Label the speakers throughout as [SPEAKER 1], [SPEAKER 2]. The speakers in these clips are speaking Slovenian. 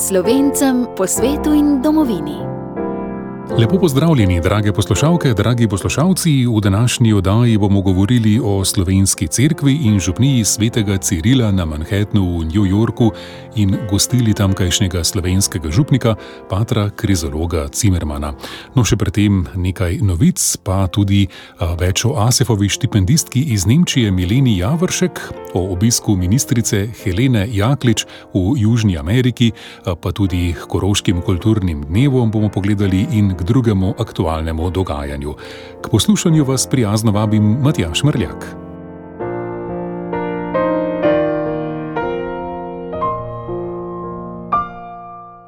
[SPEAKER 1] Slovencem po svetu in domovini.
[SPEAKER 2] Lepo pozdravljeni, drage poslušalke, dragi poslušalci. V današnji oddaji bomo govorili o slovenski cerkvi in župniji svetega Cirila na Manhattnu v New Yorku in gostili tamkajšnjega slovenskega župnika, patra Krizologa Cimermana. No, še predtem nekaj novic, pa tudi več o Asefovi štipendistki iz Nemčije Mileni Javoršek, o obisku ministrice Helene Jaklič v Južni Ameriki, pa tudi k koroškim kulturnim dnevom bomo pogledali in k drugemu aktualnemu dogajanju. K poslušanju vas prijazno vabim Matjaž Mrljak.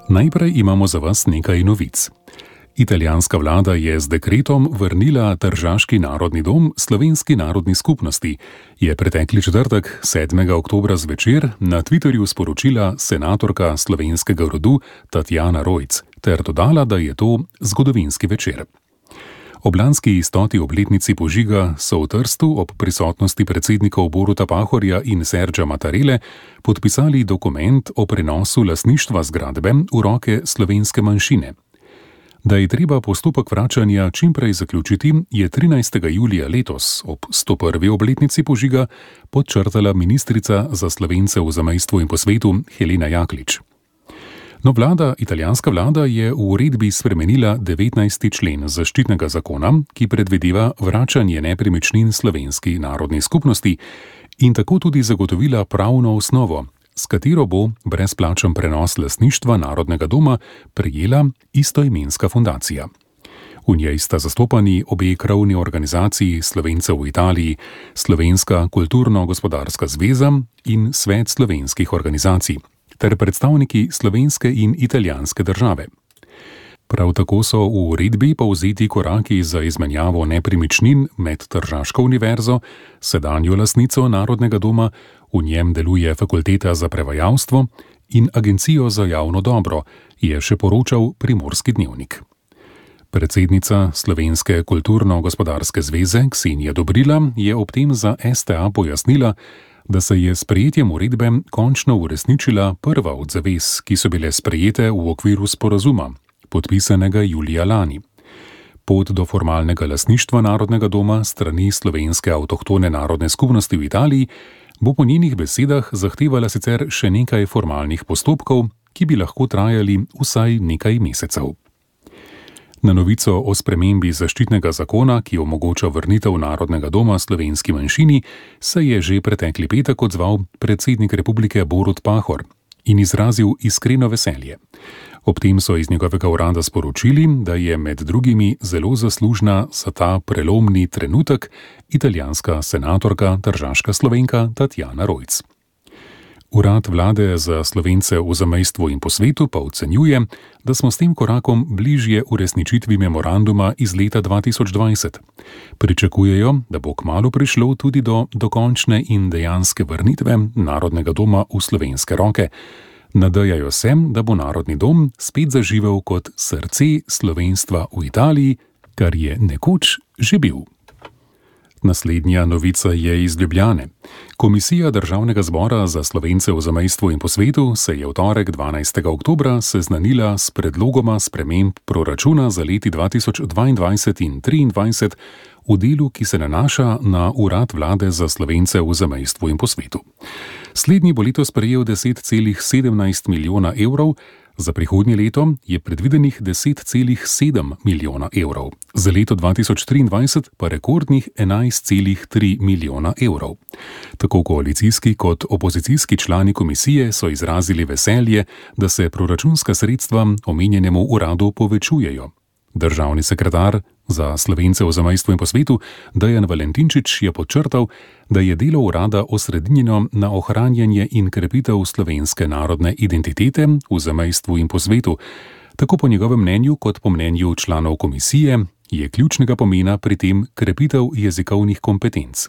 [SPEAKER 2] Najprej imamo za vas nekaj novic. Italijanska vlada je z dekretom vrnila Tržaški narodni dom Slovenski narodni skupnosti, je pretekli četrtek 7. oktobra zvečer na Twitterju sporočila senatorka slovenskega rodu Tatjana Rojc, ter dodala, da je to zgodovinski večer. Ob lanski 100. obletnici požiga so v Trstu ob prisotnosti predsednikov Boruta Pahorja in Sergija Mattarelle podpisali dokument o prenosu lastništva zgradbe v roke slovenske manjšine. Da je treba postopek vračanja čimprej zaključiti, je 13. julija letos ob 101. obletnici požiga podčrtala ministrica za Slovence v zamejstvu in po svetu Helena Jaklič. No, italijanska vlada je v uredbi spremenila 19. člen zaščitnega zakona, ki predvideva vračanje nepremičnin slovenski narodni skupnosti in tako tudi zagotovila pravno osnovo, s katero bo brezplačen prenos lastništva Narodnega doma prejela istoimenska fundacija. V njej sta zastopani obe krovni organizaciji Slovencev v Italiji, Slovenska kulturno-gospodarska zveza in Svet slovenskih organizacij, ter predstavniki slovenske in italijanske države. Prav tako so v uredbi povzeti koraki za izmenjavo nepremičnin med Tržaško univerzo, sedanjo lastnico Narodnega doma, v njem deluje fakulteta za prevajalstvo, in Agencijo za javno dobro, je še poročal Primorski dnevnik. Predsednica Slovenske kulturno-gospodarske zveze Ksenija Dobrila je ob tem za STA pojasnila, da se je s sprejetjem uredbe končno uresničila prva od zavez, ki so bile sprejete v okviru sporazuma, podpisanega julija lani. Pot do formalnega lastništva Narodnega doma strani slovenske avtohtone narodne skupnosti v Italiji bo po njenih besedah zahtevala sicer še nekaj formalnih postopkov, ki bi lahko trajali vsaj nekaj mesecev. Na novico o spremembi zaščitnega zakona, ki omogoča vrnitev Narodnega doma slovenski manjšini, se je že pretekli petek odzval predsednik republike Borut Pahor in izrazil iskreno veselje. Ob tem so iz njegovega urada sporočili, da je med drugimi zelo zaslužna za ta prelomni trenutek italijanska senatorka, tržaška Slovenka Tatjana Rojc. Urad vlade za Slovence v zamejstvu in po svetu pa ocenjuje, da smo s tem korakom bližje uresničitvi memoranduma iz leta 2020. Pričakujejo, da bo kmalu prišlo tudi do dokončne in dejanske vrnitve Narodnega doma v slovenske roke. Nadajajo se, da bo Narodni dom spet zaživel kot srce slovenstva v Italiji, kar je nekoč že bil. Naslednja novica je iz Ljubljane. Komisija Državnega zbora za Slovence v zamejstvu in po svetu se je v torek 12. oktobra seznanila s predlogoma sprememb proračuna za leti 2022 in 2023 v delu, ki se nanaša na Urad vlade za Slovence v zamejstvu in po svetu. Slednji bo letos prejel 10,17 milijona evrov, za prihodnje leto je predvidenih 10,7 milijona evrov, za leto 2023 pa rekordnih 11,3 milijona evrov. Tako koalicijski kot opozicijski člani komisije so izrazili veselje, da se proračunska sredstva omenjenemu uradu povečujejo. Državni sekretar za Slovence v zamejstvu in po svetu Dejan Valentinčič je podčrtal, da je delo urada osredinjeno na ohranjanje in krepitev slovenske narodne identitete v zamejstvu in po svetu. Tako po njegovem mnenju kot po mnenju članov komisije je ključnega pomena pri tem krepitev jezikovnih kompetenc.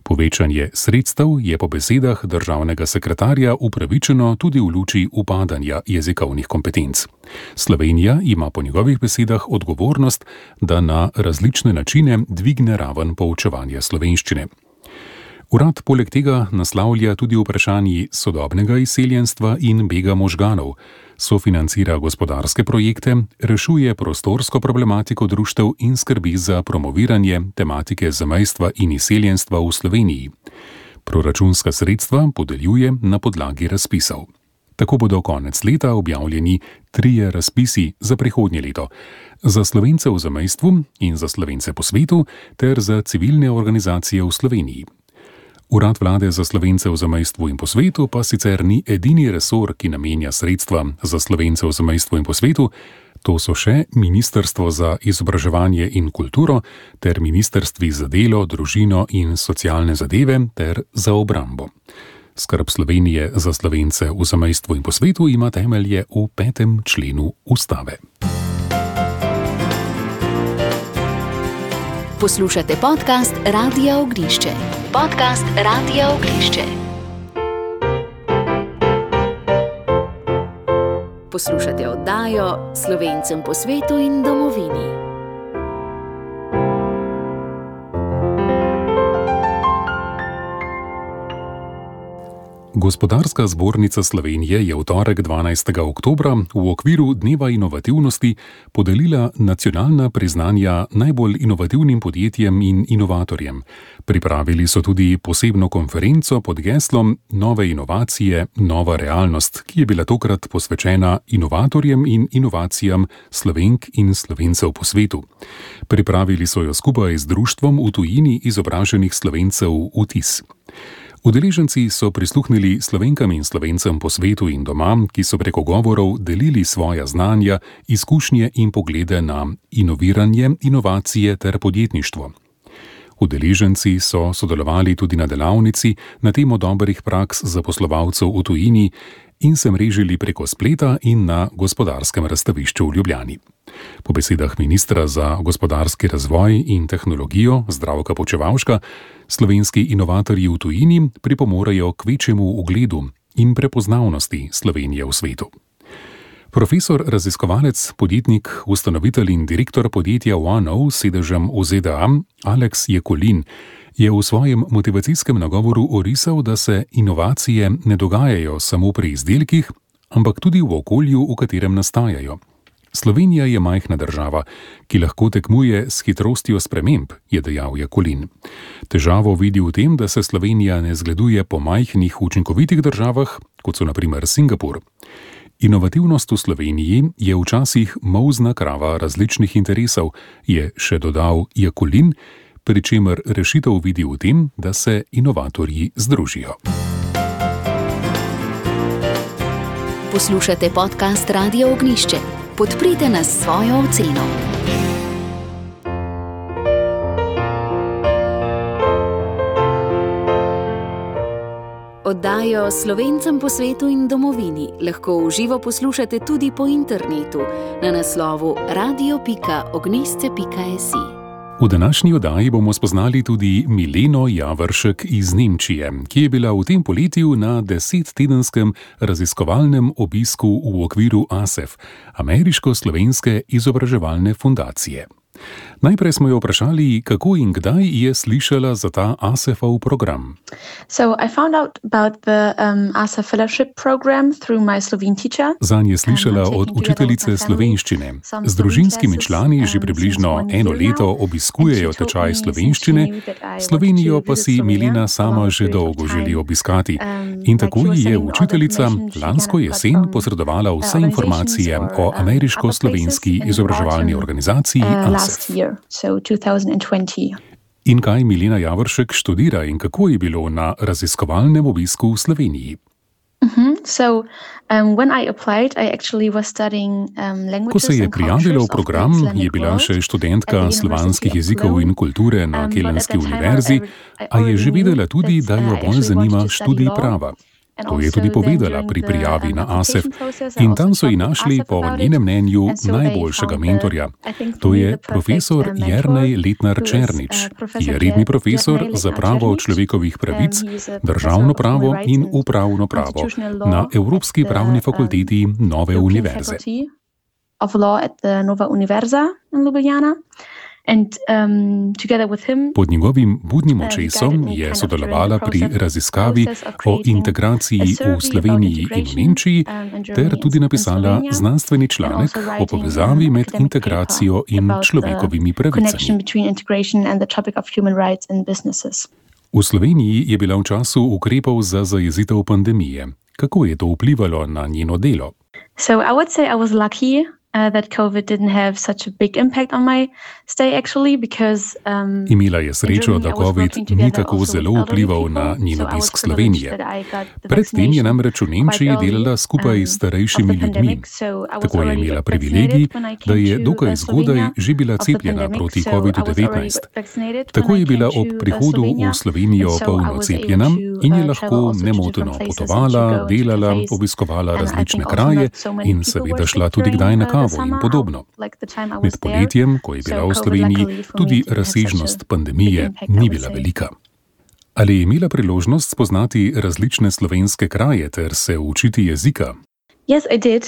[SPEAKER 2] Povečanje sredstev je po besedah državnega sekretarja upravičeno tudi v luči upadanja jezikovnih kompetenc. Slovenija ima po njegovih besedah odgovornost, da na različne načine dvigne raven poučevanja slovenščine. Urad poleg tega naslavlja tudi vprašanji sodobnega izseljenstva in bega možganov. Sofinancira gospodarske projekte, rešuje prostorsko problematiko društev in skrbi za promoviranje tematike zamejstva in izseljenstva v Sloveniji. Proračunska sredstva podeljuje na podlagi razpisov. Tako bodo konec leta objavljeni 3 razpisi za prihodnje leto. Za Slovence v zamejstvu in za Slovence po svetu ter za civilne organizacije v Sloveniji. Urad vlade za Slovence v zamejstvu in po svetu pa sicer ni edini resor, ki namenja sredstva za Slovence v zamejstvu in po svetu. To so še Ministrstvo za izobraževanje in kulturo ter Ministrstvi za delo, družino in socialne zadeve ter za obrambo. Skrb Slovenije za Slovence v zamejstvu in po svetu ima temelje v 5. členu Ustave.
[SPEAKER 1] Poslušate podcast Radia Ognišče. Podcast Radia Ognišče. Poslušate oddajo Slovencem po svetu in domovini.
[SPEAKER 2] Gospodarska zbornica Slovenije je v torek 12. oktobra v okviru Dneva inovativnosti podelila nacionalna priznanja najbolj inovativnim podjetjem in inovatorjem. Pripravili so tudi posebno konferenco pod geslom Nove inovacije, nova realnost, ki je bila tokrat posvečena inovatorjem in inovacijam Slovenk in Slovencev po svetu. Pripravili so jo skupaj z društvom v tujini izobraženih Slovencev UTIS. Udeleženci so prisluhnili Slovenkam in Slovencem po svetu in doma, ki so preko govorov delili svoja znanja, izkušnje in poglede na inoviranje, inovacije ter podjetništvo. Udeleženci so sodelovali tudi na delavnici na temo dobrih praks zaposlovalcev v tujini in se mrežili preko spleta in na gospodarskem razstavišču v Ljubljani. Po besedah ministra za gospodarski razvoj in tehnologijo Zdravka Počivalška, slovenski inovatorji v tujini pripomorejo k večjemu ugledu in prepoznavnosti Slovenije v svetu. Profesor, raziskovalec, podjetnik, ustanovitelj in direktor podjetja OneO s sedežem v ZDA, Alex Jekolin, je v svojem motivacijskem nagovoru orisal, da se inovacije ne dogajajo samo pri izdelkih, ampak tudi v okolju, v katerem nastajajo. Slovenija je majhna država, ki lahko tekmuje s hitrostjo sprememb, je dejal Jekolin. Težavo vidi v tem, da se Slovenija ne zgleduje po majhnih učinkovitih državah, kot so na primer Singapur. Inovativnost v Sloveniji je včasih molzna krava različnih interesov, je še dodal Jekolin, pri čemer rešitev vidi v tem, da se inovatorji združijo.
[SPEAKER 1] Poslušate podcast Radia Ognišče. Podprite nas s svojo oceno. Oddajo Slovencem po svetu in domovini lahko v živo poslušate tudi po internetu na naslovu radio.ognisce.si.
[SPEAKER 2] V današnji oddaji bomo spoznali tudi Mileno Javršek iz Nemčije, ki je bila v tem poletju na 10-tedenskem raziskovalnem obisku v okviru ASEF, Ameriško-slovenske izobraževalne fundacije. Najprej smo jo vprašali, kako in kdaj je slišala za ta ASEF-ov program. Zanj je slišala od učiteljice slovenščine. Z družinskimi člani že približno 1 leto obiskujejo tečaj slovenščine, Slovenijo pa si Milena sama že dolgo želi obiskati. In tako ji je učiteljica lansko jesen posredovala vse informacije o Ameriško-slovenski izobraževalni organizaciji ASEF. In kaj Milena Javršek študira in kako je bilo na raziskovalnem obisku v Sloveniji? Ko se je prijavila v program, je bila še študentka slovanskih jezikov in kulture na Kelenski univerzi, a je že vedela tudi, da jo bolj zanima študij prava. To je tudi povedala pri prijavi na ASEF in tam so ji našli po njenem mnenju najboljšega mentorja. To je profesor Jernej Letnar-Černič, ki je redni profesor za pravo človekovih pravic, državno pravo in upravno pravo na Evropski pravni fakulteti Nove univerze. Pod njegovim budnim očesom je sodelovala pri raziskavi o integraciji v Sloveniji in Nemčiji ter tudi napisala znanstveni članek o povezavi med integracijo in človekovimi pravicami. V Sloveniji je bila v času ukrepov za zajezitev pandemije. Kako je to vplivalo na njeno delo?
[SPEAKER 3] That COVID didn't have such a big impact on my stay actually because
[SPEAKER 2] imela je srečo, da COVID ni tako zelo vplival na njen obisk Slovenije. Predtem je namreč v Nemčiji delala skupaj s starejšimi ljudmi. Tako je imela privilegij, da je dokaj zgodaj že bila cepljena proti COVID-19. Tako je bila ob prihodu v Slovenijo polno cepljena in je lahko nemoteno potovala, delala, obiskovala različne kraje in seveda šla tudi kdaj na in podobno. Med poletjem, ko je bila v Sloveniji, tudi razsežnost pandemije ni bila velika. Ali je imela priložnost spoznati različne slovenske kraje ter se učiti jezika?
[SPEAKER 3] Yes, I did.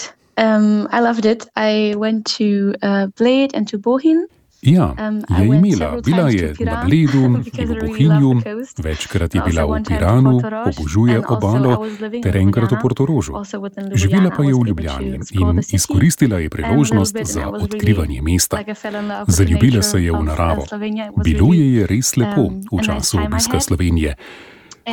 [SPEAKER 3] I loved it. I went to Bled and to Bohinj.
[SPEAKER 2] Ja, je imela. Bila je na Bledu in v Bohinju, večkrat je bila v Piranu, obožuje obalo ter enkrat v Portorožu. Živela pa je v Ljubljani in izkoristila je priložnost za odkrivanje mesta. Zaljubila se je v naravo. Bilo je res lepo v času obiska Slovenije.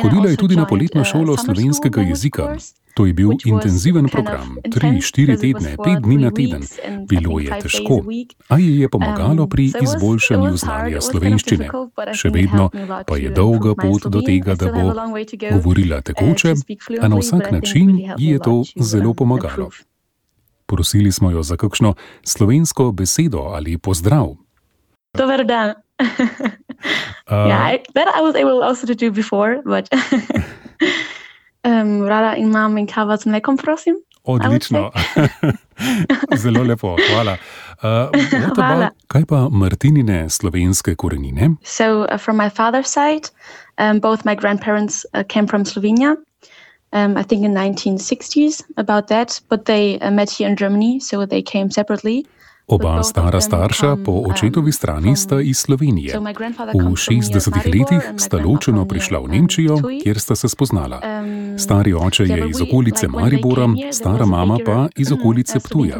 [SPEAKER 2] Hodila je tudi na poletno šolo slovenskega jezika. To je bil intenziven program, 3-4 tedne, 5 dni na teden. Bilo je težko, a ji je pomagalo pri izboljšanju znanja slovenščine. Še vedno pa je dolga pot do tega, da bo govorila tekoče, a na vsak način ji je to zelo pomagalo. Prosili smo jo za kakšno slovensko besedo ali pozdrav.
[SPEAKER 3] Dober dan. That I was able also to do before, but rada imam in kava z mlekom, prosim.
[SPEAKER 2] Odlično. Zelo lepo, hvala. Kaj pa Martinine slovenske korenine?
[SPEAKER 3] So from my father's side, both my grandparents came from Slovenia. I think in 1960s, about that, but they met here in Germany, so they came separately.
[SPEAKER 2] Oba stara starša po očetovi strani sta iz Slovenije. V 60-ih letih sta ločeno prišla v Nemčijo, kjer sta se spoznala. Stari oče je iz okolice Maribora, stara mama pa iz okolice Ptuja.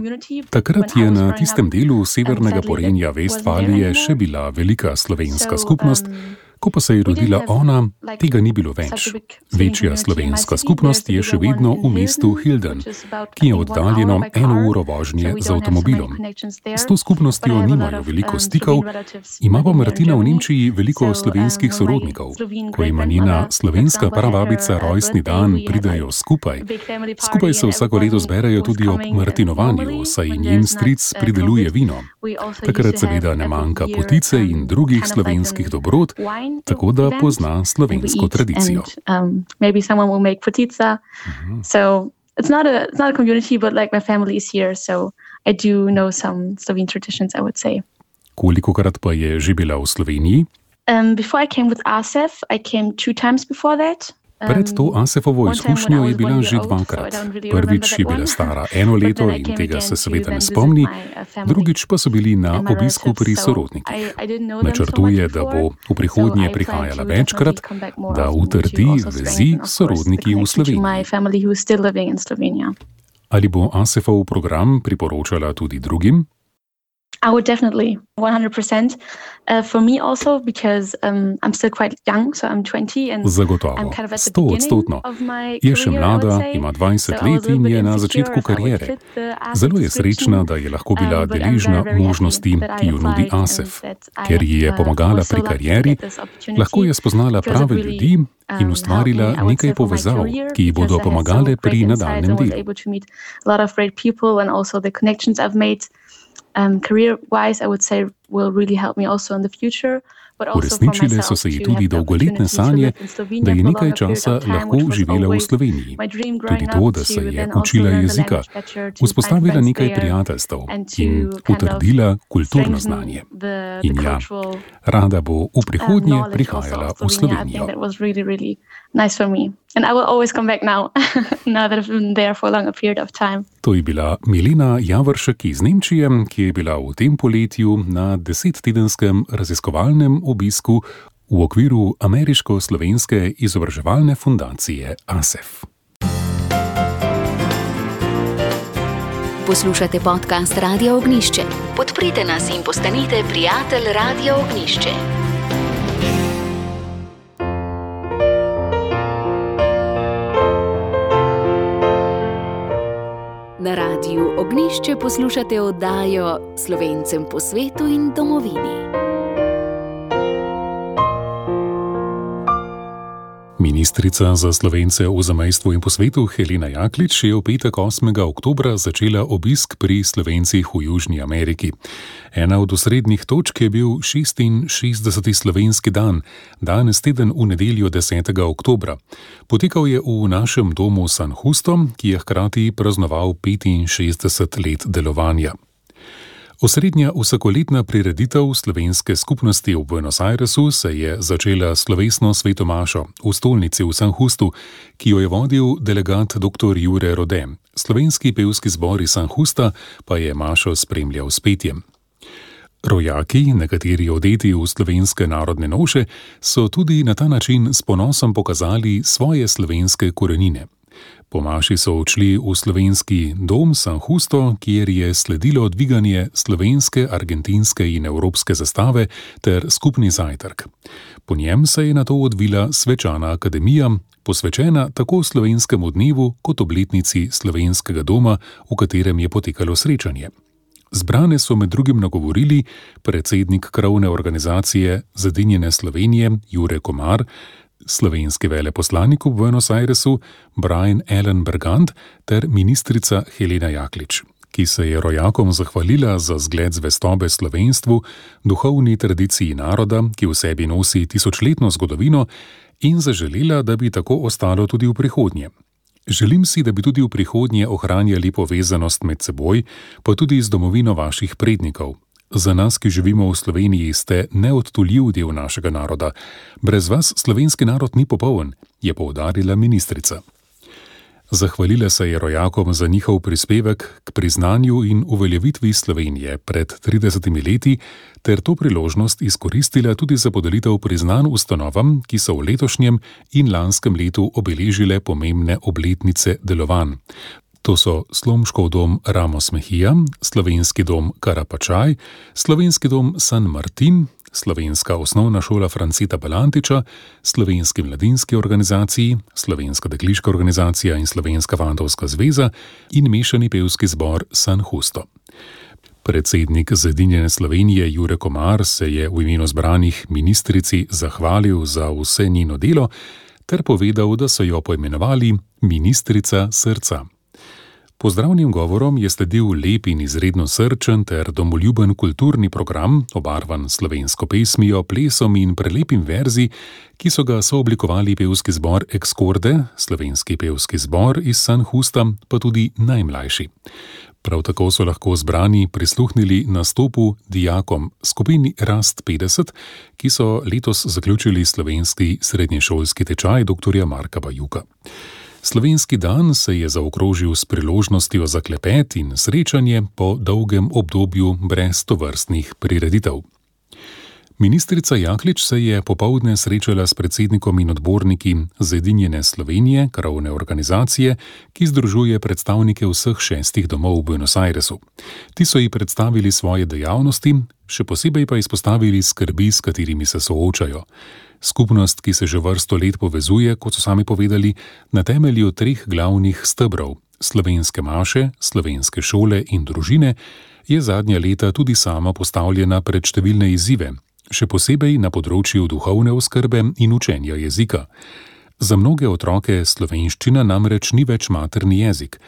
[SPEAKER 2] Takrat je na tistem delu severnega Porenja Vestfalije še bila velika slovenska skupnost. Ko pa se je rodila ona, tega ni bilo več. Večja slovenska skupnost je še vedno v mestu Hilden, ki je oddaljeno 1 uro vožnje z avtomobilom. S to skupnostjo nimajo veliko stikov, ima pa Martina v Nemčiji veliko slovenskih sorodnikov. Ko ima njena slovenska prababica rojstni dan, pridejo skupaj. Skupaj se vsako leto zberajo tudi ob martinovanju, saj njen stric prideluje vino. Takrat seveda ne manjka potice in drugih slovenskih dobrot, tako da pozna slovensko tradicijo.
[SPEAKER 3] Maybe someone will make potica. So it's not a community, but like my family is here, so I do know some Slovene traditions, I would say.
[SPEAKER 2] Kolikokrat pa je že bila v Sloveniji?
[SPEAKER 3] Before I came with ASEF, I came 2 times before that.
[SPEAKER 2] Pred to ASEF-ovo izkušnjo je bila že 2-krat. Prvič je bila stara 1 leto in tega se seveda ne spomni, drugič pa so bili na obisku pri sorodnikih. Načrtuje, da bo v prihodnje prihajala večkrat, da utrdi vezi s sorodniki v Sloveniji. Ali bo ASEF-ov program priporočala tudi drugim?
[SPEAKER 3] I would definitely, 100%. For me also, because I'm still quite young, so I'm 20 and
[SPEAKER 2] Zagotovo,
[SPEAKER 3] I'm kind of at the beginning of my
[SPEAKER 2] je še
[SPEAKER 3] career, I
[SPEAKER 2] mlada,
[SPEAKER 3] would say.
[SPEAKER 2] ima 20
[SPEAKER 3] So I was
[SPEAKER 2] let
[SPEAKER 3] a little
[SPEAKER 2] in
[SPEAKER 3] bit
[SPEAKER 2] je na
[SPEAKER 3] insecure
[SPEAKER 2] začetku
[SPEAKER 3] if I would
[SPEAKER 2] kariere.
[SPEAKER 3] fit the ASEF
[SPEAKER 2] Zelo je
[SPEAKER 3] description,
[SPEAKER 2] srečna, da je lahko bila
[SPEAKER 3] but I'm
[SPEAKER 2] deležna
[SPEAKER 3] very, very
[SPEAKER 2] možnosti,
[SPEAKER 3] happy that I
[SPEAKER 2] ki jo nudi
[SPEAKER 3] applied and
[SPEAKER 2] ASEF.
[SPEAKER 3] that I
[SPEAKER 2] Ker ji je
[SPEAKER 3] have,
[SPEAKER 2] pomagala
[SPEAKER 3] also
[SPEAKER 2] pri
[SPEAKER 3] lucky to
[SPEAKER 2] karieri,
[SPEAKER 3] get this opportunity.
[SPEAKER 2] lahko je spoznala
[SPEAKER 3] It was a
[SPEAKER 2] prave
[SPEAKER 3] really,
[SPEAKER 2] ljudi in
[SPEAKER 3] helped me,
[SPEAKER 2] ustvarila
[SPEAKER 3] I would
[SPEAKER 2] nekaj
[SPEAKER 3] say, for my
[SPEAKER 2] povezav,
[SPEAKER 3] career,
[SPEAKER 2] ki ji bodo
[SPEAKER 3] because I had so
[SPEAKER 2] pomagale
[SPEAKER 3] great
[SPEAKER 2] pri
[SPEAKER 3] insights.
[SPEAKER 2] nadaljnem
[SPEAKER 3] I was
[SPEAKER 2] delu.
[SPEAKER 3] able to meet a lot of great people and also the connections I've made career-wise, I would say, will really help me also in the future.
[SPEAKER 2] Uresničile so se ji tudi dolgoletne sanje, da je nekaj časa lahko živela v Sloveniji. Tudi to, da se je učila jezika, vzpostavila nekaj prijateljstev in utrdila kulturno znanje. In ja, rada bo v prihodnje prihajala v Slovenijo.
[SPEAKER 3] That was really, really nice for me. And I will always come back now that I've been there for a longer period of time.
[SPEAKER 2] To je bila Milena Javršek iz Nemčije, ki je bila v tem poletju na 10-tedenskem raziskovalnem obisku v okviru Ameriško-slovenske izobraževalne fundacije ASEF.
[SPEAKER 1] Poslušate podcast Radia Ognišče. Podprite nas in postanite prijatelj Radia Ognišče. Na Radiu Ognišče poslušate oddajo Slovencem po svetu in domovini.
[SPEAKER 2] Ministrica za Slovence v zamejstvu in po svetu Helena Jaklič je v petek 8. oktobra začela obisk pri Slovencih v Južni Ameriki. Ena od osrednjih točk je bil 66. slovenski dan, danes teden v nedeljo 10. oktobra. Potekal je v našem domu San Justo, ki je hkrati praznoval 65 let delovanja. Osrednja vsakoletna prireditev slovenske skupnosti v Buenos Airesu se je začela slovesno svetomašo v stolnici v San Justu, ki jo je vodil delegat dr. Jure Rode. Slovenski pevski zbor iz San Justa pa je mašo spremljal s petjem. Rojaki, nekateri odeti v slovenske narodne noše, so tudi na ta način s ponosom pokazali svoje slovenske korenine. Po maši so odšli v slovenski dom San Justo, kjer je sledilo dviganje slovenske, argentinske in evropske zastave ter skupni zajtrk. Po njem se je nato odvila svečana akademija, posvečena tako slovenskemu dnevu kot obletnici slovenskega doma, v katerem je potekalo srečanje. Zbrane so med drugim nagovorili predsednik krovne organizacije Zedinjene Slovenije Jure Komar, slovenski veleposlanik v Buenos Airesu Brian Allen Bergant ter ministrica Helena Jaklič, ki se je rojakom zahvalila za zgled zvestobe slovenstvu, duhovni tradiciji naroda, ki v sebi nosi tisočletno zgodovino, in zaželela, da bi tako ostalo tudi v prihodnje. Želim si, da bi tudi v prihodnje ohranjali povezanost med seboj, pa tudi z domovino vaših prednikov. Za nas, ki živimo v Sloveniji, ste neodtuljiv del našega naroda. Brez vas slovenski narod ni popoln, je poudarila ministrica. Zahvalila se je rojakom za njihov prispevek k priznanju in uveljavitvi Slovenije pred 30 leti ter to priložnost izkoristila tudi za podelitev priznanj ustanovam, ki so v letošnjem in lanskem letu obeležile pomembne obletnice delovanj. To so Slomškov dom Ramos Mejía, Slovenski dom Karapačaj, Slovenski dom San Martin, Slovenska osnovna šola Franceta Balantiča, Slovenski mladinski organizaciji, Slovenska dekliška organizacija in Slovenska fantovska zveza in mešani pevski zbor San Justo. Predsednik Zedinjene Slovenije Jure Komar se je v imenu zbranih ministrici zahvalil za vse njeno delo ter povedal, da so jo poimenovali ministrica srca. Pozdravnim govorom je sledil lep in izredno srčen ter domoljuben kulturni program, obarvan slovensko pesmijo, plesom in prelepim verzi, ki so ga sooblikovali pevski zbor Excorde, slovenski pevski zbor iz San Justa, pa tudi najmlajši. Prav tako so lahko zbrani prisluhnili nastopu dijakom skupini Rast 50, ki so letos zaključili slovenski srednješolski tečaj dr. Marka Bajuka. Slovenski dan se je zaokrožil s priložnostjo za klepet in srečanje po dolgem obdobju brez tovrstnih prireditev. Ministrica Jaklič se je popoldne srečala s predsednikom in odborniki Zedinjene Slovenije, krovne organizacije, ki združuje predstavnike vseh 6 domov v Buenos Airesu. Ti so ji predstavili svoje dejavnosti, še posebej pa izpostavili skrbi, s katerimi se soočajo. Skupnost, ki se že vrsto let povezuje, kot so sami povedali, na temelju 3 glavnih stebrov, slovenske maše, slovenske šole in družine, je zadnja leta tudi sama postavljena pred številne izzive, še posebej na področju duhovne oskrbe in učenja jezika. Za mnoge otroke slovenščina namreč ni več materni jezik,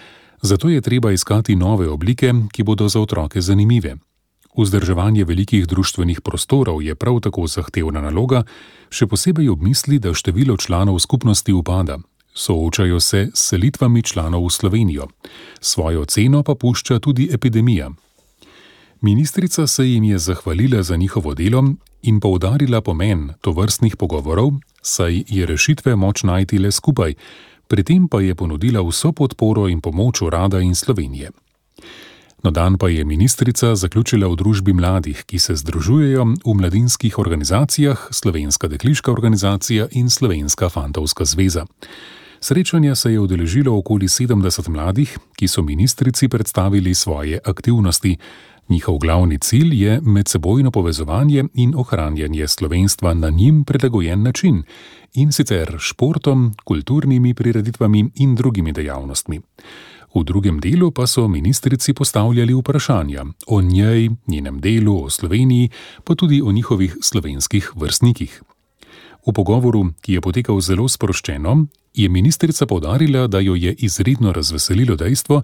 [SPEAKER 2] zato je treba iskati nove oblike, ki bodo za otroke zanimive. Vzdrževanje velikih društvenih prostorov je prav tako zahtevna naloga, še posebej ob misli, da število članov skupnosti upada. Soočajo se s selitvami članov v Slovenijo. Svojo ceno pa pušča tudi epidemija. Ministrica se jim je zahvalila za njihovo delo in poudarila pomen tovrstnih pogovorov, saj je rešitve moč najti le skupaj, pri tem pa je ponudila vso podporo in pomoč urada in Slovenije. Na dan pa je ministrica zaključila v družbi mladih, ki se združujejo v mladinskih organizacijah, Slovenska dekliška organizacija in Slovenska fantovska zveza. Srečanja se je udeležilo okoli 70 mladih, ki so ministrici predstavili svoje aktivnosti. Njihov glavni cilj je medsebojno povezovanje in ohranjanje slovenstva na njim prilagojen način, in sicer športom, kulturnimi prireditvami in drugimi dejavnostmi. V drugem delu pa so ministrici postavljali vprašanja o njej, njenem delu, o Sloveniji, pa tudi o njihovih slovenskih vrstnikih. V pogovoru, ki je potekal zelo sproščeno, je ministrica poudarila, da jo je izredno razveselilo dejstvo,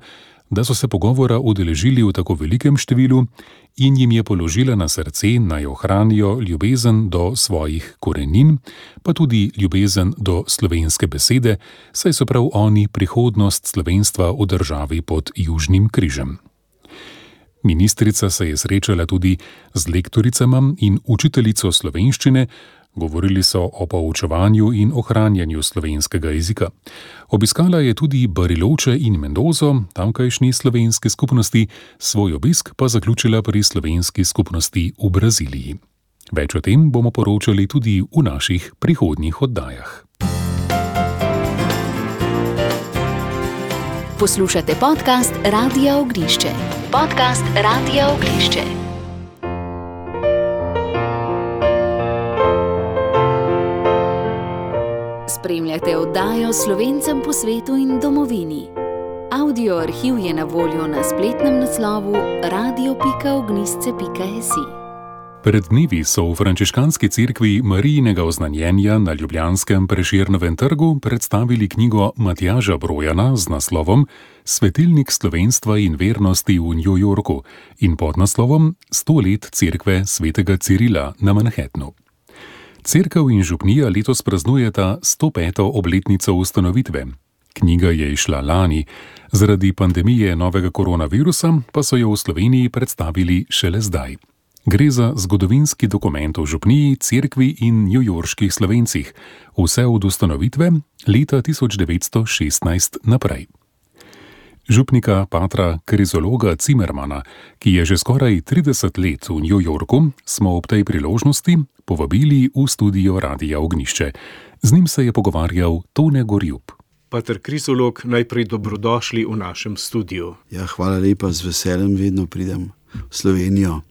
[SPEAKER 2] da so se pogovora udeležili v tako velikem številu in jim je položila na srce, naj ohranijo ljubezen do svojih korenin, pa tudi ljubezen do slovenske besede, saj so prav oni prihodnost slovenstva v državi pod Južnim križem. Ministrica se je srečala tudi z lektoricama in učiteljico slovenščine. Govorili so o poučevanju in ohranjanju slovenskega jezika. Obiskala je tudi Bariloche in Mendozo, tamkajšnji slovenski skupnosti, svoj obisk pa zaključila pri slovenski skupnosti v Braziliji. Več o tem bomo poročali tudi v naših prihodnjih oddajah.
[SPEAKER 1] Poslušate podcast Radia Ognjišče. Podcast Radia Ognjišče. Spremljate oddajo Slovencem po svetu in domovini. Audio arhiv je na voljo na spletnem naslovu radio.ognjišče.si.
[SPEAKER 2] Pred dnevi so v frančiškanski cerkvi Marijinega oznanjenja na ljubljanskem Prešernovem trgu predstavili knjigo Matjaža Brojana z naslovom Svetilnik slovenstva in vernosti v New Yorku in pod naslovom 100 let cerkve svetega Cirila na Manhattnu. Cerkev in župnija letos praznujeta 105. obletnico ustanovitve. Knjiga je izšla lani, zaradi pandemije novega koronavirusa pa so jo v Sloveniji predstavili šele zdaj. Gre za zgodovinski dokument o župniji, cerkvi in newyorških Slovencih, vse od ustanovitve leta 1916 naprej. Župnika patra krizologa Zimmermana, ki je že skoraj 30 let v New Yorku, smo ob tej priložnosti povabili v studio Radia Ognjišče. Z njim se je pogovarjal Tone Gorjup.
[SPEAKER 4] Pater krizolog, najprej dobrodošli v našem studiu.
[SPEAKER 5] Ja, hvala lepa, z veseljem vedno pridem v Slovenijo,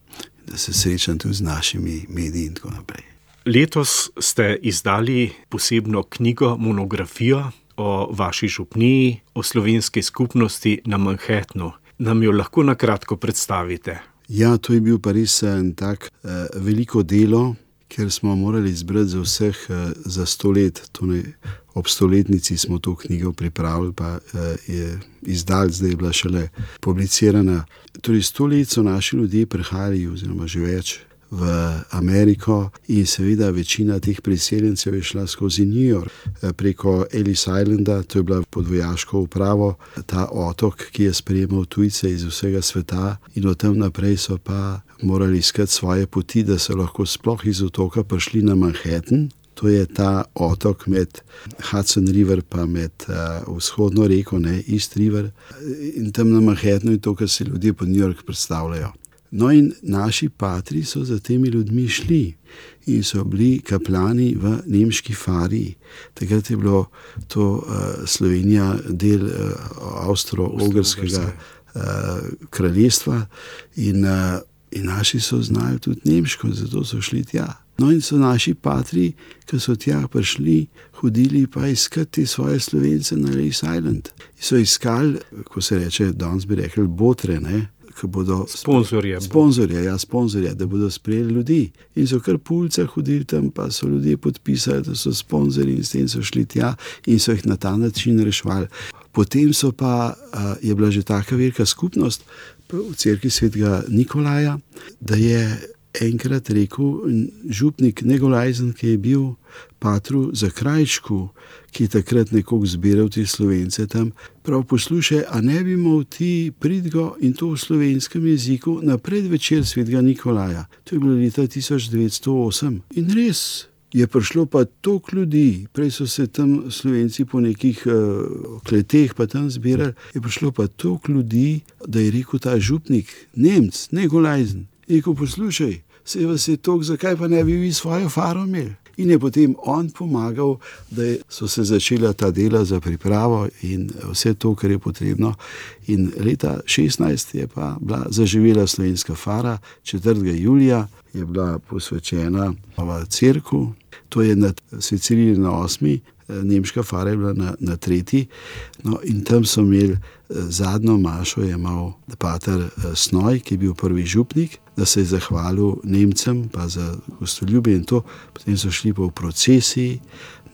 [SPEAKER 5] da se srečam tudi z našimi mediji in tako naprej.
[SPEAKER 4] Letos ste izdali posebno knjigo, monografijo o vaši župniji, o slovenski skupnosti na Manhattnu. Nam jo lahko na kratko predstavite?
[SPEAKER 5] Ja, to je bil pa res tak veliko delo, ker smo morali izbrati za vseh za 100 let. Ob 100-letnici smo to knjigo pripravili, pa je izdal, zdaj je bila šele publicirana. Torej 100 let so naši ljudje prihajali, oziroma že več, v Ameriko in seveda večina teh priseljencev je šla skozi New York preko Ellis Islanda, to je bila pod vojaško upravo, ta otok, ki je sprejemal tujce iz vsega sveta, in od tam naprej so pa morali iskati svoje poti, da so lahko sploh iz otoka prišli na Manhattan. To je ta otok med Hudson River pa med vzhodno reko, East River, in tam na Manhattanu je to, kar se ljudje po New York predstavljajo. No in naši patri so za temi ljudmi šli in so bili kaplani v nemški Fariji. Takrat je bilo to Slovenija del Avstro-Ogrskega kraljestva in naši so znali tudi nemško, zato so šli tja. No in so naši patri, ki so tja prišli, hodili pa iskati svoje Slovence na Ellis Island. So iskali, ko se reče, danes bi rekli botre, ki bodo sponzorje, da bodo sprejeli ljudi. In so kar po ulicah hodili tam, pa so ljudje podpisali, da so sponzorji, in s tem so šli tja in so jih na ta način reševali. Potem so pa, je bila že taka velika skupnost v cerkvi svetega Nikolaja, da je enkrat rekel župnik Negolajzen, ki je bil patru Zakrajčku, ki je takrat nekoliko zbiral te Slovence tam, prav poslušaj, a ne bi imel ti pridgo in to v slovenskem jeziku na predvečer svetega Nikolaja. To je bilo leta 1908. In res je prišlo pa toliko ljudi, prej so se tam Slovenci po nekih kleteh pa tam zbirali, je prišlo pa toliko ljudi, da je rekel ta župnik, Nemc, Negolajzen, je rekel, poslušaj, se vas je toliko, zakaj pa ne bi vi svojo faro imeli? In je potem on pomagal, da so se začela ta dela za pripravo in vse to, kar je potrebno. In leta 16 je pa bila zaživela slovenska fara, 4. julija je bila posvečena v cerkev, to je nad Svet Ciril na 8., nemška fara je bila na 3. No, in tam so imeli zadnjo mašo, je imel pater Snoj, ki je bil prvi župnik, da se je zahvalil Nemcem pa za gostoljubje in to. Potem so šli pa v procesiji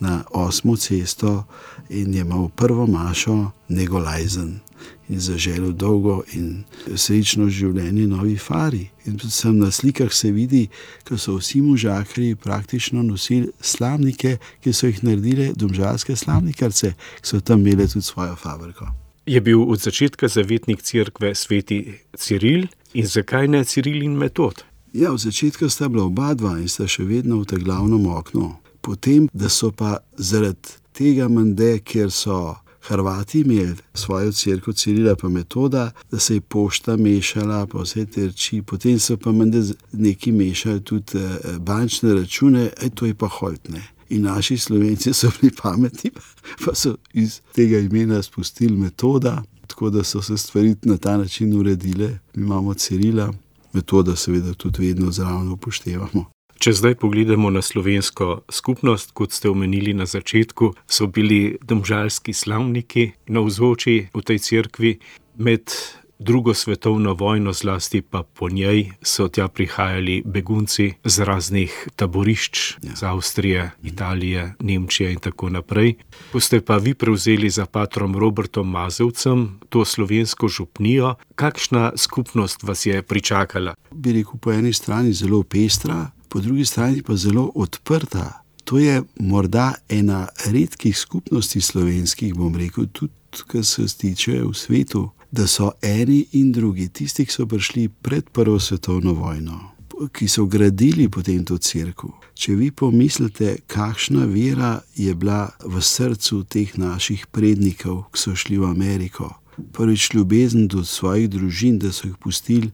[SPEAKER 5] na 8. cesto in je imel prvo mašo Negolajzen in zaželel dolgo in srečno življenje novi fari. In predvsem na slikah se vidi, ko so vsi možakarji praktično nosili slamnike, ki so jih naredile domžalske slamnikarce, ki so tam imeli tudi svojo fabriko.
[SPEAKER 4] Je bil od začetka zavetnik cerkve sveti Ciril in zakaj ne Ciril in Metod?
[SPEAKER 5] Ja, od začetka sta bila oba dva in sta še vedno v tem glavnem oknu. Potem, da so pa zaradi tega mende, kjer so Hrvati imeli svojo cerkev Cirila pa Metoda, da se je pošta mešala, pa vse te reči. Potem so pa mende neki mešali tudi bančne račune, to je pa holdne. In naši Slovenci so bili pametni, pa so iz tega imena spustili Metoda, tako da so se stvari na ta način uredile. Mi imamo Cirila, Metoda seveda tudi vedno zraven upoštevamo.
[SPEAKER 4] Če zdaj pogledamo na slovensko skupnost, kot ste omenili na začetku, so bili domžalski slavniki navzoči v tej cerkvi. Med drugo svetovno vojno, zlasti pa po njej, so tja prihajali begunci z raznih taborišč, z Avstrije, Italije, Nemčije in tako naprej. Ko ste pa vi prevzeli za patrom Robertom Mazovcem to slovensko župnijo, kakšna skupnost vas je pričakala?
[SPEAKER 5] Bi rekel, po eni strani zelo pestra, po drugi strani pa zelo odprta. To je morda ena redkih skupnosti slovenskih, bom rekel, tudi kar se tiče v svetu, da so eni in drugi, tisti, ki so prišli pred prvo svetovno vojno, ki so gradili potem to cerkev. Če vi pomislite, kakšna vera je bila v srcu teh naših prednikov, ki so šli v Ameriko. Prvič ljubezen do svojih družin, da so jih pustili,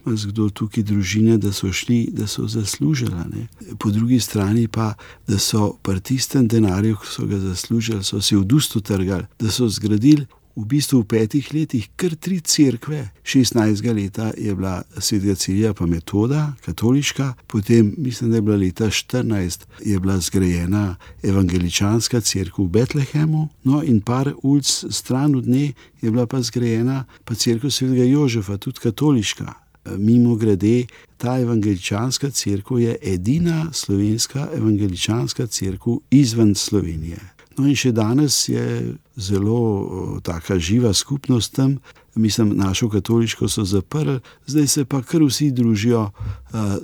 [SPEAKER 5] kdo tukaj družine, da so šli, da so zaslužila. Ne? Po drugi strani pa, da so pri tistem denarju, ki so ga zaslužili, so se v dustu trgali, da so zgradili v bistvu v 5 letih kar 3 cerkve. 16. leta je bila svetega Cirila pa Metoda, katoliška, potem mislim, da je bila leta 14 je bila zgrajena evangeličanska cerkev v Betlehemu, no in par ulic stran od nje je bila pa zgrajena pa cerkev svetega Jožefa, tudi katoliška. Mimo grede, ta evangeličanska cerkev je edina slovenska evangeličanska cerkev izven Slovenije. No in še danes je zelo taka živa skupnost tam. Mislim, našo katoliško so zaprli, zdaj se pa kar vsi družijo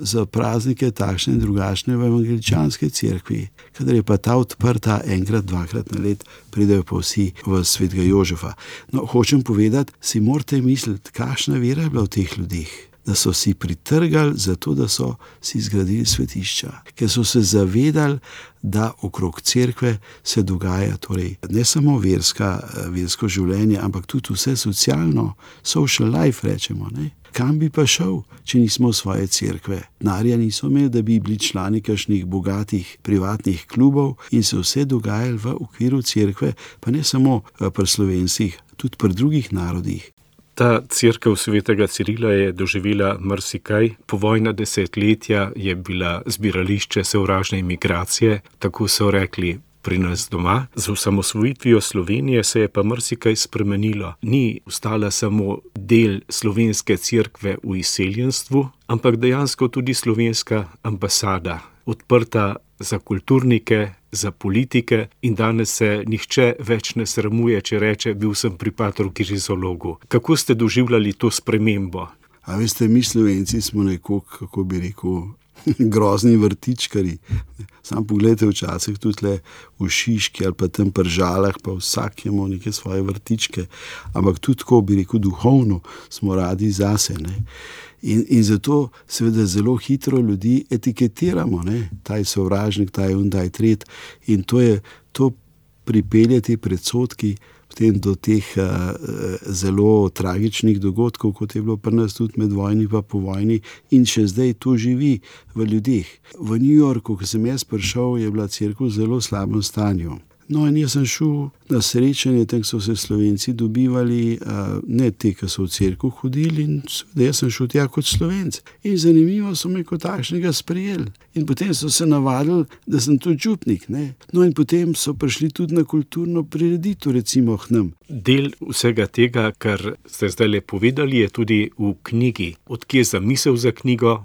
[SPEAKER 5] za praznike takšne in drugačne v evangeličanske cerkvi. Kadar je pa ta odprta enkrat, dvakrat na let, pridejo pa vsi v svetega Jožefa. No, hočem povedati, si morate misliti, kakšna vera je bila v teh ljudeh. Da so si pritrgali zato, da so si zgradili svetišča, ker so se zavedali, da okrog cerkve se dogaja torej ne samo versko življenje, ampak tudi vse socialno, social life rečemo. Ne? Kam bi pa šel, če nismo svoje cerkve? Denarja niso imeli, da bi bili člani kakšnih bogatih privatnih klubov in se vse dogajali v okviru cerkve, pa ne samo pri Slovencih, tudi pri drugih narodih.
[SPEAKER 4] Ta cerkev svetega Cirila je doživela marsikaj. Povojna desetletja je bila zbirališče sovražne imigracije, tako so rekli pri nas doma. Z osamosvojitvijo Slovenije se je pa marsikaj spremenilo. Ni ostala samo del slovenske cerkve v izseljenstvu, ampak dejansko tudi slovenska ambasada, odprta za kulturnike, za politike in danes se nihče več ne sramuje, če reče, bil sem pri patru Kirizologu. Kako ste doživljali to spremembo?
[SPEAKER 5] A veste, mi Slovenci smo nekoliko, kako bi rekel, grozni vrtičkari. Sam pogledajte včasih tudi le v Šiški ali pa tam pri Žalah, pa vsak ima neke svoje vrtičke. Ampak tudi tako bi rekel, duhovno smo radi zase. Ne? In zato seveda zelo hitro ljudi etiketiramo, ne? Ta je sovražnik, ta je ta je tret. In to pripelje te predsodki potem do teh zelo tragičnih dogodkov, kot je bilo pri nas tudi med vojni pa po vojni, in še zdaj to živi v ljudeh. V New Yorku, ko sem jaz prišel, je bila cerkev v zelo slabem stanju. No, in jaz sem šel na srečanje, tam so se Slovenci dobivali, ne te, ki so v cerkev hodili, in jaz sem šel tja kot Slovenc. In zanimivo so me kot takšnega sprejeli. In potem so se navadili, da sem tudi župnik. Ne? No, in potem so prišli tudi na kulturno prireditev, recimo k nam.
[SPEAKER 4] Del vsega tega, kar ste zdaj le povedali, je tudi v knjigi. Odkje je zamisel za knjigo,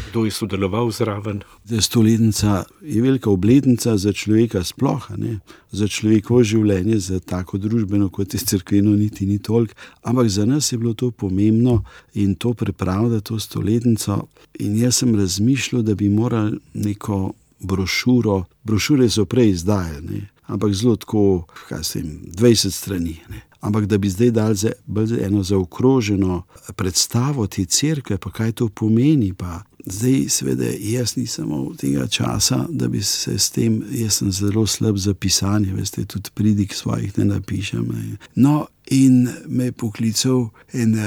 [SPEAKER 4] kdo je sodeloval zraven?
[SPEAKER 5] Stoletnica je velika obletnica za človeka sploh, ne? Za človekovo življenje, za tako družbeno, kot je cerkveno, niti ni toliko. Ampak za nas je bilo to pomembno in to pripravljati, to stoletnico. In jaz sem razmišljal, da bi morali neko brošuro, brošure so prej izdajali, ne? Ampak zelo tako, 20 strani. Ne? Ampak da bi zdaj dali bolj eno zaokroženo predstavo te cerkve, pa kaj to pomeni, pa zdaj seveda jaz nisem imel tega časa, da bi se s tem, jaz sem zelo slab za pisanje, veste, tudi pridig svojih ne napišem. Ne? No, in me je poklical en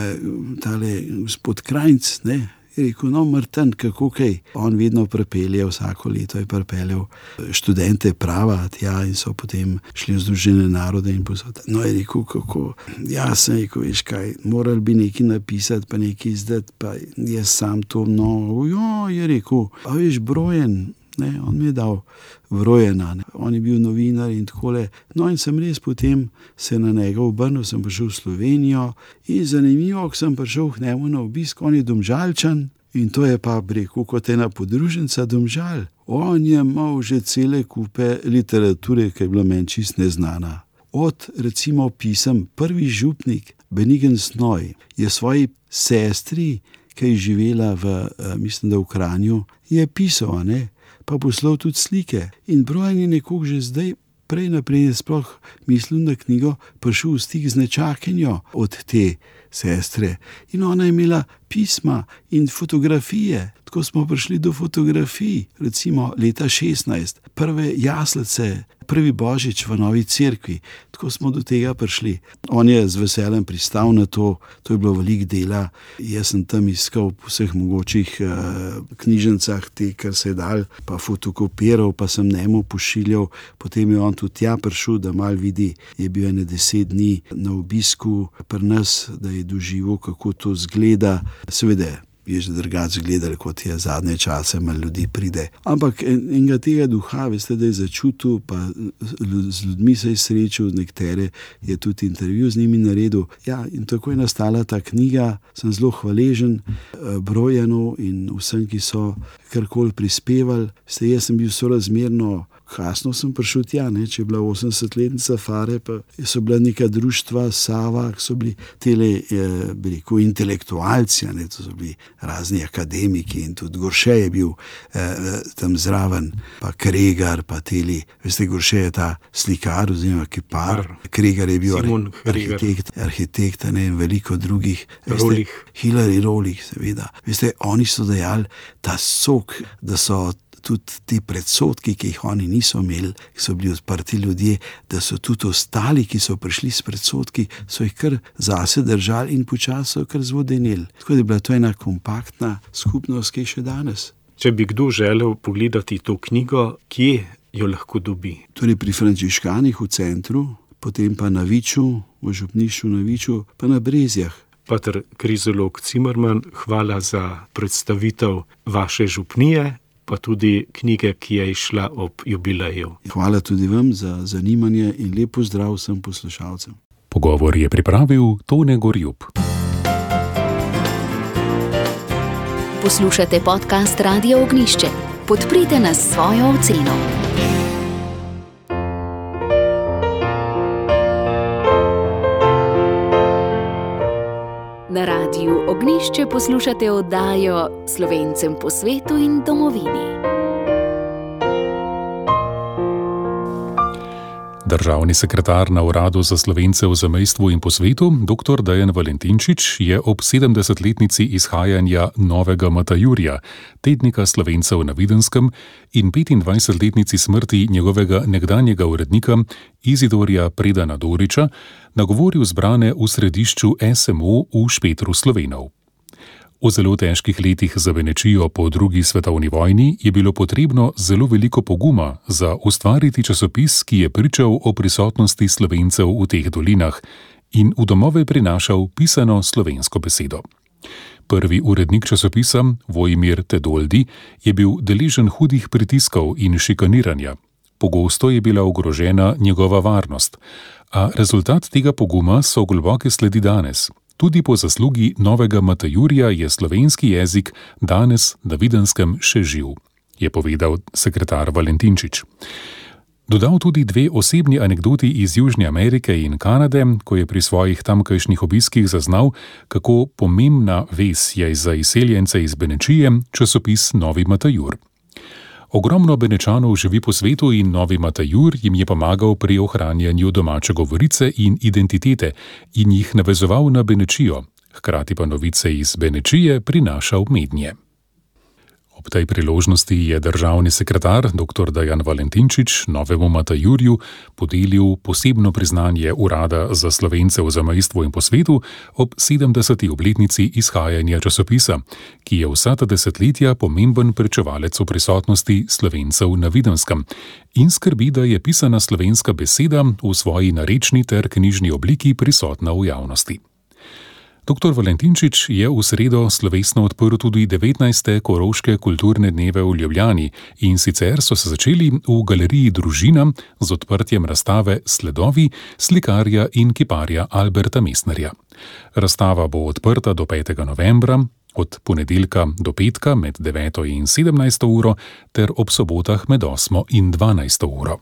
[SPEAKER 5] tale gospod Krajnc, ne? Je rekel, no, Martin, kako kaj? On vedno pripelje, vsako leto je pripeljal študente prava tja in so potem šli v Združene narode in posod. No, je rekel, kako? Ja, sem rekel, veš kaj, morali bi nekaj napisati, pa nekaj izdati, pa jaz sam to, no, jo, je rekel, a veš, Brojen, ne, on mi je dal Vrojena, ne. On je bil novinar in takole. No, in sem res potem se na njega obrnil, sem prišel v Slovenijo in zanimivo, ko sem prišel k njemu na obisk, on je Domžalčan in to je pa, rekel, kot ena podružnica Domžal. On je imel že cele kupe literature, ki je bila meni čist neznana. Od, recimo, pisem, prvi župnik Benigen Snoj je svoji sestri, ki je živela mislim, da v Kranju, je pisal, ne? Pa poslal tudi slike. In Brojen je nekoga že zdaj prej naprej sploh mislil na knjigo, prišel v stik z nečakinjo od te sestre. In ona je imela pisma in fotografije. Tako smo prišli do fotografij, recimo leta 16, prve jaslice, prvi božič v novi cerkvi. Tako smo do tega prišli. On je z veseljem pristal na to, to je bilo veliko dela. Jaz sem tam iskal po vseh mogočih knjižnicah te, kar se je dal, pa fotokopiral, pa sem njemu pošiljal. Potem je on tudi tja prišel, da mal vidi, je bil 10 dni na obisku pri nas, da je doživel, kako to zgleda. Seveda je že drugače gledali, kot je zadnje čase, malo ljudi pride. Ampak enega tega duha, veste, da je začutil, pa z ljudmi se je srečal, nekatere je tudi intervju z njimi naredil. Ja, in tako je nastala ta knjiga. Sem zelo hvaležen Brojenu in vsem, ki so karkoli prispevali. Veste, jaz sem bil sorazmerno kasno sem prišel tja, ne, če je bila 80-letnica Fare, pa so bila neka društva, Sava, so bili tele, bi rekel, intelektualci, ne, to so bili razni akademiki in tudi Gorše je bil tam zraven, pa Kregar, pa veste, Gorše je ta slikar oziroma kipar, Kregar je bil arhitekt, ne, in veliko drugih. Rolich. Hilary Rolich, seveda. Veste, oni so dejali ta sok, da so tudi ti predsodki, ki jih oni niso imeli, ki so bili odprti ljudje, da so tudi ostali, ki so prišli s predsodki, so jih kar zase držali in počasi so kar zvodenili. Tako da je bila to ena kompaktna skupnost, ki je še danes.
[SPEAKER 4] Če bi kdo želel pogledati to knjigo, kje jo lahko dobi?
[SPEAKER 5] Torej pri Frančiškanih v centru, potem pa na Viču, v župnišču na Viču, pa na Brezjah.
[SPEAKER 4] Pater Krizolog Cimerman, hvala za predstavitev vaše župnije, pa tudi knjige, ki je išla ob jubileju.
[SPEAKER 5] Hvala tudi vam za zanimanje in lep pozdrav vsem poslušalcem.
[SPEAKER 2] Pogovor je pripravil Tone Gorjup.
[SPEAKER 1] Poslušate podcast Radia Ognjišče. Podprite nas s svojo oceno. Na Radiu Ognišče poslušate oddajo Slovencem po svetu in domovini.
[SPEAKER 2] Državni sekretar na Uradu za Slovence v zamejstvu in po svetu, dr. Dejan Valentinčič, je ob 70-letnici izhajanja Novega Matajurja, tednika Slovencev na Videnskem, in 25-letnici smrti njegovega nekdanjega urednika Izidorja Predana Doriča nagovoril zbrane v središču SMO v Špetru Slovenov. V zelo težkih letih za Benečijo po drugi svetovni vojni je bilo potrebno zelo veliko poguma za ustvariti časopis, ki je pričal o prisotnosti Slovencev v teh dolinah in v domove prinašal pisano slovensko besedo. Prvi urednik časopisa, Vojmir Tedoldi, je bil deležen hudih pritiskov in šikaniranja. Pogosto je bila ogrožena njegova varnost, a rezultat tega poguma so globoke sledi danes. Tudi po zaslugi Novega Matajurja je slovenski jezik danes na Videnskem še živ, je povedal sekretar Valentinčič. Dodal tudi dve osebni anekdoti iz Južne Amerike in Kanade, ko je pri svojih tamkajšnjih obiskih zaznal, kako pomembna vez je za izseljence iz Benečije časopis Novi Matajur. Ogromno Benečanov živi po svetu in Novi Matajur jim je pomagal pri ohranjanju domače govorice in identitete in jih navezoval na Benečijo, hkrati pa novice iz Benečije prinašal mednje. Ob tej priložnosti je državni sekretar dr. Dejan Valentinčič Novemu Matajurju podelil posebno priznanje Urada za Slovence v zamejstvu in po svetu ob 70. obletnici izhajanja časopisa, ki je vsa ta desetletja pomemben pričevalec o prisotnosti Slovencev na Videnskem in skrbi, da je pisana slovenska beseda v svoji narečni ter knjižni obliki prisotna v javnosti. Dr. Valentinčič je v sredo slovesno odprl tudi 19. Koroške kulturne dneve v Ljubljani in sicer so se začeli v galeriji Družina z odprtjem razstave Sledovi slikarja in kiparja Alberta Mestnerja. Razstava bo odprta do 5. novembra, od ponedeljka do petka med 9. in 17. uro ter ob sobotah med 8. in 12. uro.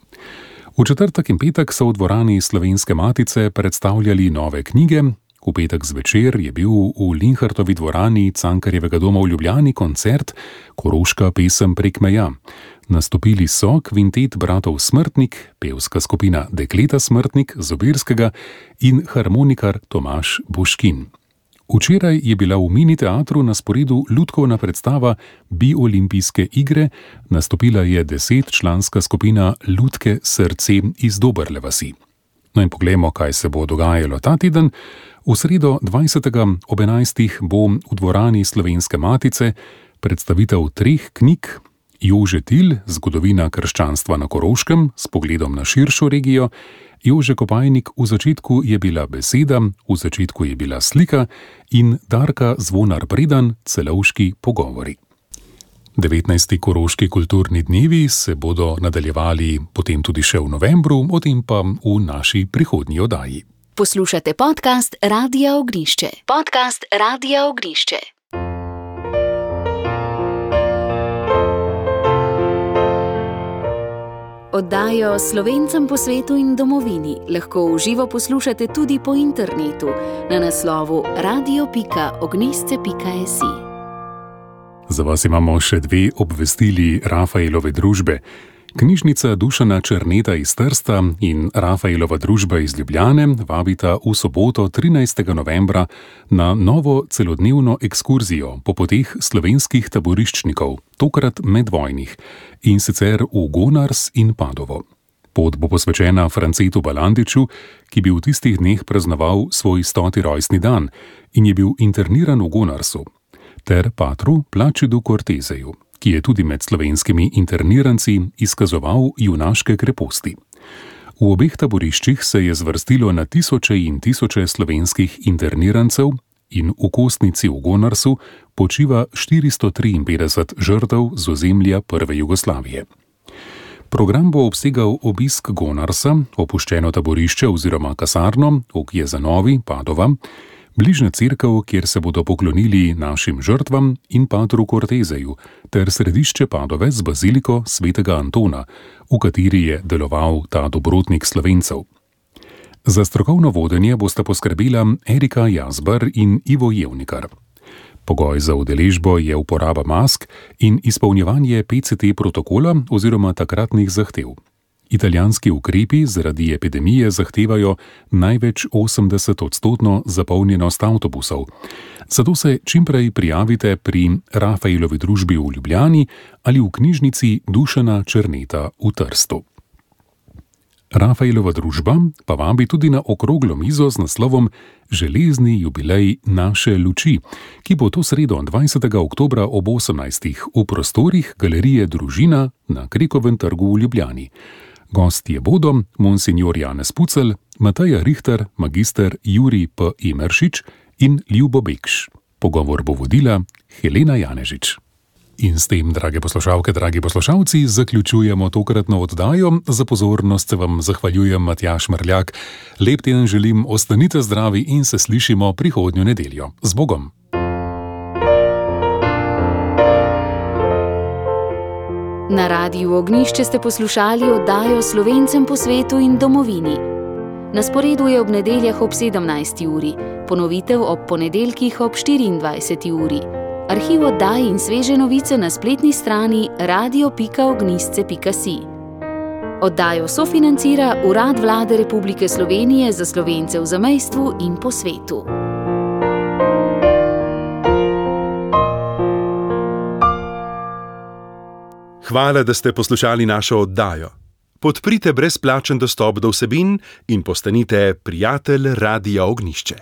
[SPEAKER 2] V četrtek in petek so v dvorani Slovenske matice predstavljali nove knjige. V petek zvečer je bil v Linhartovi dvorani Cankarjevega doma v Ljubljani koncert Koroška pesem prek meja. Nastopili so kvintet bratov Smrtnik, pevska skupina Dekleta Smrtnik z Obirskega in harmonikar Tomaž Boškin. Včeraj je bila v Mini teatru na sporedu lutkovna predstava Biolimpijske igre, nastopila je 10-članska skupina Lutke Srce iz Doberle vasi. No in poglejmo, kaj se bo dogajalo ta teden. V sredo 20. ob 11. bo v dvorani Slovenske matice predstavitev 3 knjig Jože Til, Zgodovina krščanstva na Koroškem s pogledom na širšo regijo, Jože Kopajnik, V začetku je bila beseda, v začetku je bila slika in Darka Zvonar Predan, Celovški pogovori. 19. Koroški kulturni dnevi se bodo nadaljevali potem tudi še v novembru, o tem pa v naši prihodnji oddaji.
[SPEAKER 1] Poslušate podcast Radia Ognišče. Podcast Radia Ognišče. Oddajo Slovencem po svetu in domovini lahko v živo poslušate tudi po internetu na naslovu radio.ognisce.si.
[SPEAKER 2] Za vas imamo še 2 obvestili Rafaelove družbe. Knjižnica Dušana Černeta iz Trsta in Rafaelova družba iz Ljubljane vabita v soboto 13. novembra na novo celodnevno ekskurzijo po poteh slovenskih taboriščnikov, tokrat medvojnih, in sicer v Gonars in Padovo. Pot bo posvečena Francetu Balandiču, ki bi v tistih dneh praznoval svoj 100. rojstni dan in je bil interniran v Gonarsu, ter patru Plačidu Kortezeju, ki je tudi med slovenskimi interniranci izkazoval junaške kreposti. V obeh taboriščih se je zvrstilo na tisoče in tisoče slovenskih internirancev in v Kostnici v Gonarsu počiva 453 žrtev z ozemlja prve Jugoslavije. Program bo obsegal obisk Gonarsa, opuščeno taborišče oziroma kasarno v Kjezanovi, Padova, bližnja cerkev, kjer se bodo poklonili našim žrtvam in patru Kortezeju, ter središče Padove z baziliko svetega Antona, v kateri je deloval ta dobrotnik Slovencev. Za strokovno vodenje bosta poskrbela Erika Jazbar in Ivo Jevnikar. Pogoj za udeležbo je uporaba mask in izpolnjevanje PCT protokola oziroma takratnih zahtev. Italijanski ukrepi zaradi epidemije zahtevajo največ 80% zapolnjenost avtobusov. Zato se čimprej prijavite pri Rafaelovi družbi v Ljubljani ali v knjižnici Dušana Černeta v Trstu. Rafaelova družba pa vabi tudi na okroglo mizo z naslovom Železni jubilej naše luči, ki bo to sredo 20. oktobra ob 18. v prostorih Galerije Družina na Krekovem trgu v Ljubljani. Gostje bodo monsignor Janez Pucelj, Mateja Richter, magister Jurij P. Imeršič in Ljubo Bekš. Pogovor bo vodila Helena Janežič. In s tem, drage poslušalke, dragi poslušalci, zaključujemo tokratno oddajo. Za pozornost se vam zahvaljujem Matjaž Mrljak. Lep teden želim, ostanite zdravi in se slišimo prihodnjo nedeljo. Z Bogom!
[SPEAKER 1] Na Radiu Ognjišče ste poslušali oddajo Slovencem po svetu in domovini. Na sporedu je ob nedeljah ob 17. uri, ponovitev ob ponedeljkih ob 24. uri. Arhiv oddaj in sveže novice na spletni strani radio.ognjisce.si. Oddajo sofinancira Urad Vlade Republike Slovenije za Slovence v zamejstvu in po svetu.
[SPEAKER 6] Hvala, da ste poslušali našo oddajo. Podprite brezplačen dostop do vsebin in postanite prijatelj Radia Ognjišče.